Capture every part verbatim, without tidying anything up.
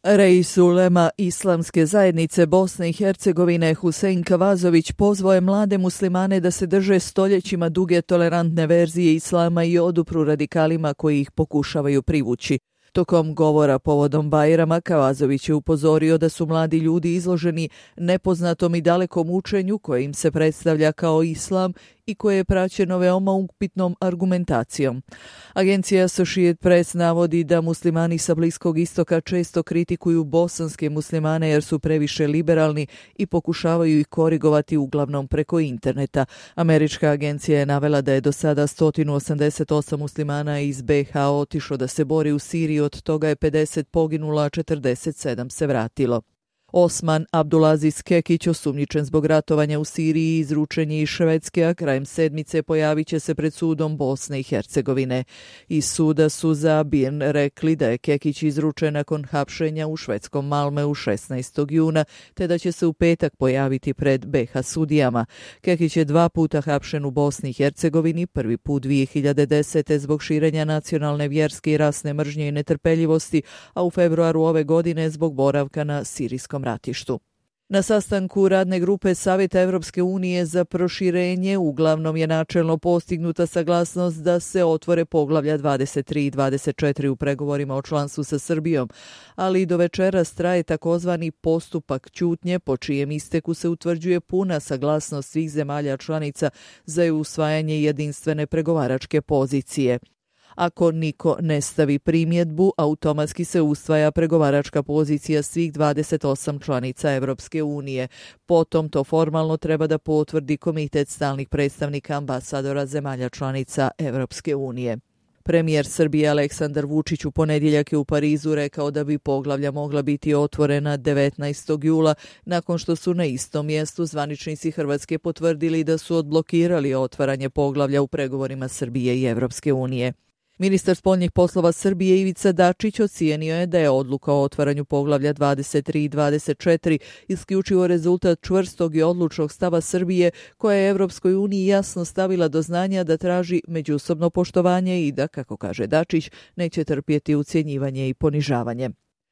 Reis ulema Islamske zajednice Bosne i Hercegovine Husein Kavazović pozvao je mlade muslimane da se drže stoljećima duge tolerantne verzije islama i odupru radikalima koji ih pokušavaju privući. Tokom govora povodom Bajrama Kavazović je upozorio da su mladi ljudi izloženi nepoznatom i dalekom učenju koje im se predstavlja kao islam i koje je praćeno veoma upitnom argumentacijom. Agencija Associated Press navodi da muslimani sa Bliskog istoka često kritikuju bosanske muslimane jer su previše liberalni i pokušavaju ih korigovati uglavnom preko interneta. Američka agencija je navela da je do sada sto osamdeset osam muslimana iz B iH otišlo da se bori u Siriji, od toga je pedeset poginulo, a četrdeset sedam se vratilo. Osman Abdulaziz Kekić, osumnjičen zbog ratovanja u Siriji, izručen je iz Švedske, a krajem sedmice pojavit će se pred sudom Bosne i Hercegovine. Iz suda su za Birn rekli da je Kekić izručen nakon hapšenja u švedskom Malmeu šesnaestog juna, te da će se u petak pojaviti pred B iH sudijama. Kekić je dva puta hapšen u Bosni i Hercegovini, prvi put dvije hiljade desete zbog širenja nacionalne, vjerske i rasne mržnje i netrpeljivosti, a u februaru ove godine zbog boravka na sirijskom ratištu. Na sastanku radne grupe Savjeta Evropske unije za proširenje uglavnom je načelno postignuta saglasnost da se otvore poglavlja dvadeset tri i dvadeset četiri u pregovorima o članstvu sa Srbijom, ali do večeras traje takozvani postupak ćutnje, po čijem isteku se utvrđuje puna saglasnost svih zemalja članica za usvajanje jedinstvene pregovaračke pozicije. Ako niko ne stavi primjedbu, automatski se usvaja pregovaračka pozicija svih dvadeset osam članica Evropske unije. Potom to formalno treba da potvrdi Komitet stalnih predstavnika ambasadora zemalja članica Evropske unije. Premijer Srbije Aleksandar Vučić u ponedjeljak je u Parizu rekao da bi poglavlja mogla biti otvorena devetnaestog jula, nakon što su na istom mjestu zvaničnici Hrvatske potvrdili da su odblokirali otvaranje poglavlja u pregovorima Srbije i Evropske unije. Ministar spoljnih poslova Srbije Ivica Dačić ocijenio je da je odluka o otvaranju poglavlja dvadeset tri i dvadeset četiri isključivo rezultat čvrstog i odlučnog stava Srbije, koja je Evropskoj uniji jasno stavila do znanja da traži međusobno poštovanje i da, kako kaže Dačić, neće trpjeti ucjenjivanje i ponižavanje.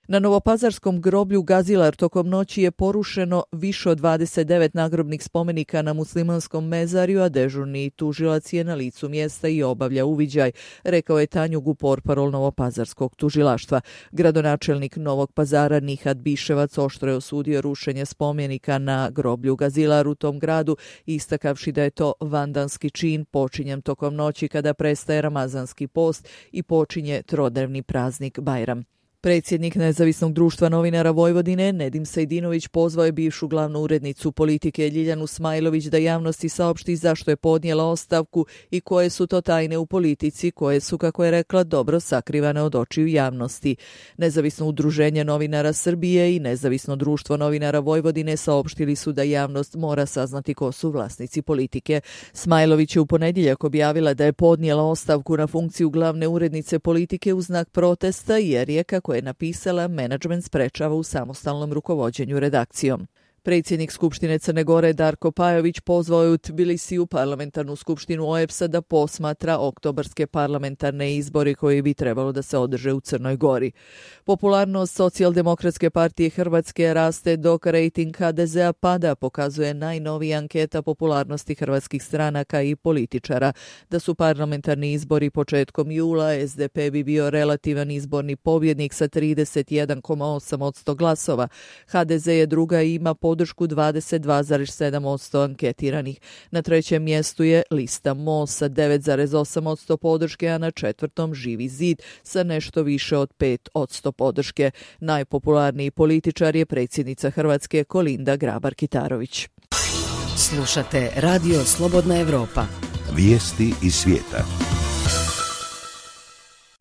Na novopazarskom groblju Gazilar tokom noći je porušeno više od dvadeset devet nagrobnih spomenika na muslimanskom mezarju, a dežurni tužilac je na licu mjesta i obavlja uviđaj, rekao je Tanjug, portparol novopazarskog tužilaštva. Gradonačelnik Novog Pazara Nihat Biševac oštro je osudio rušenje spomenika na groblju Gazilar u tom gradu, istakavši da je to vandanski čin počinjen tokom noći kada prestaje ramazanski post i počinje trodnevni praznik Bajram. Predsjednik Nezavisnog društva novinara Vojvodine Nedim Sejdinović pozvao je bivšu glavnu urednicu Politike Ljiljanu Smajlović da javnosti saopšti zašto je podnijela ostavku i koje su to tajne u politici koje su, kako je rekla, dobro sakrivane od očiju javnosti. Nezavisno udruženje novinara Srbije i Nezavisno društvo novinara Vojvodine saopštili su da javnost mora saznati ko su vlasnici Politike. Smajlović je u ponedjeljak objavila da je podnijela ostavku na funkciju glavne urednice Politike u znak protesta jer je, kako je napisala, menadžment sprečava u samostalnom rukovođenju redakcijom. Predsjednik Skupštine Crne Gore Darko Pajović pozvao je u Tbilisiju parlamentarnu skupštinu O E B S-a da posmatra oktobarske parlamentarne izbore koji bi trebalo da se održe u Crnoj Gori. Popularnost Socijaldemokratske partije Hrvatske raste dok rejting H D Z-a pada, pokazuje najnovija anketa popularnosti hrvatskih stranaka i političara. Da su parlamentarni izbori početkom jula, S D P bi bio relativan izborni pobjednik sa trideset jedan zarez osam posto glasova. H D Z je druga i ima podršku dvadeset dva zarez sedam posto anketiranih. Na trećem mjestu je lista Most sa devet zarez osam posto podrške, a na četvrtom Živi zid sa nešto više od pet posto podrške. Najpopularniji političar je predsjednica Hrvatske Kolinda Grabar-Kitarović. Slušate Radio Slobodna Evropa. Vijesti iz svijeta.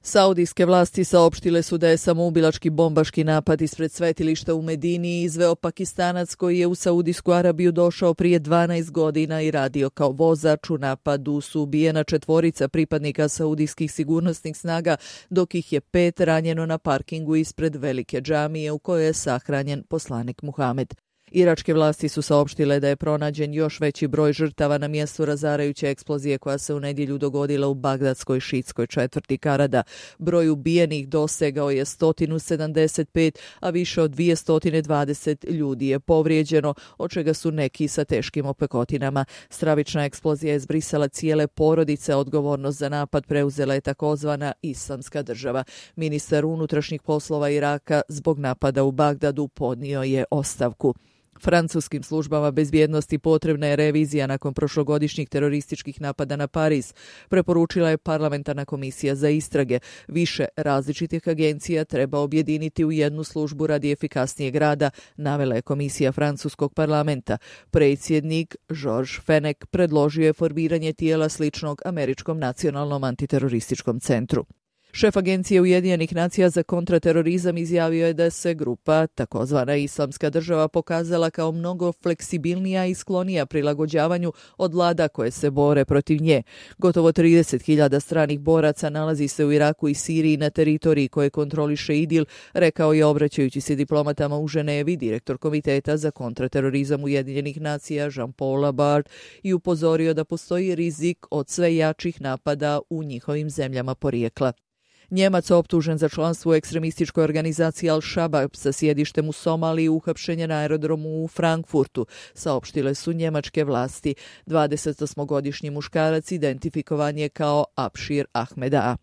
Saudijske vlasti saopštile su da je samoubilački bombaški napad ispred svetilišta u Medini izveo Pakistanac koji je u Saudijsku Arabiju došao prije dvanaest godina i radio kao vozač. U napadu su ubijena četvorica pripadnika saudijskih sigurnosnih snaga, dok ih je pet ranjeno na parkingu ispred velike džamije u kojoj je sahranjen poslanik Muhamed. Iračke vlasti su saopštile da je pronađen još veći broj žrtava na mjestu razarajuće eksplozije koja se u nedjelju dogodila u bagdadskoj šiitskoj četvrti Karada. Broj ubijenih dosegao je sto sedamdeset pet, a više od dvjesto dvadeset ljudi je povrijeđeno, od čega su neki sa teškim opekotinama. Stravična eksplozija je zbrisala cijele porodice, odgovornost za napad preuzela je takozvana Islamska država. Ministar unutrašnjih poslova Iraka zbog napada u Bagdadu podnio je ostavku. Francuskim službama bezbjednosti potrebna je revizija nakon prošlogodišnjih terorističkih napada na Pariz, preporučila je parlamentarna komisija za istrage. Više različitih agencija treba objediniti u jednu službu radi efikasnijeg rada, navela je komisija francuskog parlamenta. Predsjednik Georges Fenech predložio je formiranje tijela sličnog američkom nacionalnom antiterorističkom centru. Šef Agencije Ujedinjenih nacija za kontraterorizam izjavio je da se grupa, takozvana Islamska država, pokazala kao mnogo fleksibilnija i sklonija prilagođavanju od vlada koje se bore protiv nje. Gotovo trideset hiljada stranih boraca nalazi se u Iraku i Siriji na teritoriji koje kontroliše IDIL, rekao je obraćajući se diplomatama u Ženevi direktor Komiteta za kontraterorizam Ujedinjenih nacija Jean-Paul Labart i upozorio da postoji rizik od sve jačih napada u njihovim zemljama porijekla. Njemac optužen za članstvo u ekstremističkoj organizaciji Al-Shabaab sa sjedištem u Somaliji uhapšen je na aerodromu u Frankfurtu, saopštile su njemačke vlasti. dvadesetosmogodišnji muškarac identifikovan je kao Abšir Ahmed A.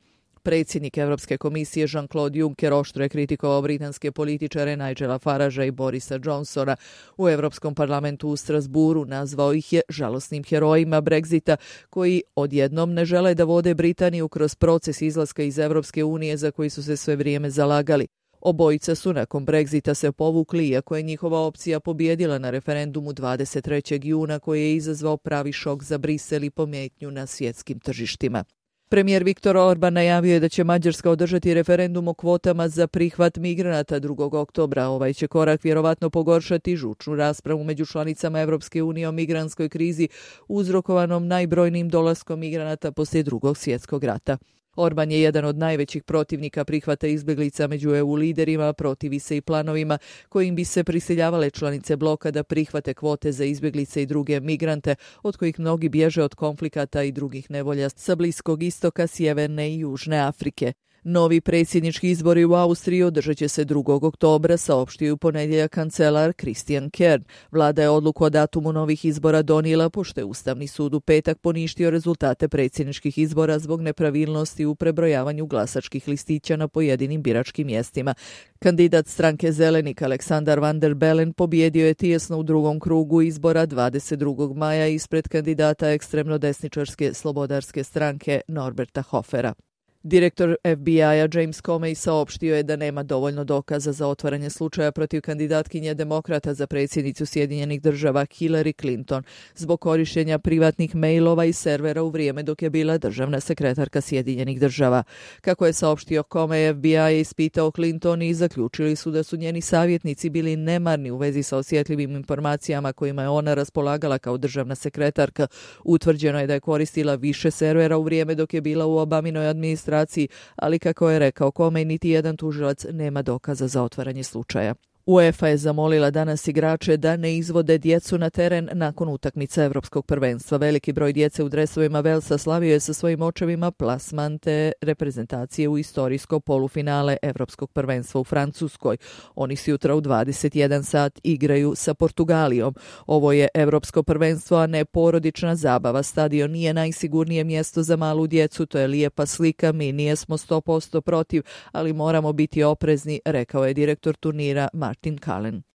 Predsjednik Europske komisije Jean-Claude Juncker oštro je kritikovao britanske političare Nigela Faragea i Borisa Johnsona. U Europskom parlamentu u Strasburu nazvao ih je žalosnim herojima Brexita koji odjednom ne žele da vode Britaniju kroz proces izlaska iz Europske unije za koji su se sve vrijeme zalagali. Obojica su nakon Brexita se povukli, iako je njihova opcija pobijedila na referendumu dvadeset trećeg juna koji je izazvao pravi šok za Brisel i pometnju na svjetskim tržištima. Premijer Viktor Orban najavio je da će Mađarska održati referendum o kvotama za prihvat migranata drugog oktobra. Ovaj će korak vjerovatno pogoršati žučnu raspravu među članicama Europske unije o migrantskoj krizi uzrokovanom najbrojnijim dolaskom migranata poslije drugog svjetskog rata. Orban je jedan od najvećih protivnika prihvata izbjeglica među E U liderima, protivi se i planovima kojim bi se prisiljavale članice bloka da prihvate kvote za izbjeglice i druge migrante, od kojih mnogi bježe od konflikata i drugih nevolja sa Bliskog istoka, Sjeverne i Južne Afrike. Novi predsjednički izbori u Austriji održat će se drugog oktobra, saopštio je u ponedjeljak kancelar Christian Kern. Vlada je odluku o datumu novih izbora donijela pošto je Ustavni sud u petak poništio rezultate predsjedničkih izbora zbog nepravilnosti u prebrojavanju glasačkih listića na pojedinim biračkim mjestima. Kandidat stranke Zelenik Aleksandar Van der Bellen pobjedio je tijesno u drugom krugu izbora dvadeset drugog maja ispred kandidata ekstremno desničarske slobodarske stranke Norberta Hofera. Direktor F B I-a James Comey saopštio je da nema dovoljno dokaza za otvaranje slučaja protiv kandidatkinje demokrata za predsjednicu Sjedinjenih država Hillary Clinton zbog korištenja privatnih mailova i servera u vrijeme dok je bila državna sekretarka Sjedinjenih država. Kako je saopštio Comey, F B I je ispitao Clinton i zaključili su da su njeni savjetnici bili nemarni u vezi sa osjetljivim informacijama kojima je ona raspolagala kao državna sekretarka. Utvrđeno je da je koristila više servera u vrijeme dok je bila u Obaminoj administraciji, ali kako je rekao Comey, niti jedan tužilac nema dokaza za otvaranje slučaja. UEFA je zamolila danas igrače da ne izvode djecu na teren nakon utakmice Evropskog prvenstva. Veliki broj djece u dresovima Velsa slavio je sa svojim očevima plasman te reprezentacije u istorijsko polufinale Evropskog prvenstva u Francuskoj. Oni sutra u dvadeset jedan sat igraju sa Portugalijom. Ovo je Evropsko prvenstvo, a ne porodična zabava. Stadion nije najsigurnije mjesto za malu djecu, to je lijepa slika, mi nijesmo sto posto protiv, ali moramo biti oprezni, rekao je direktor turnira Martin Cullen.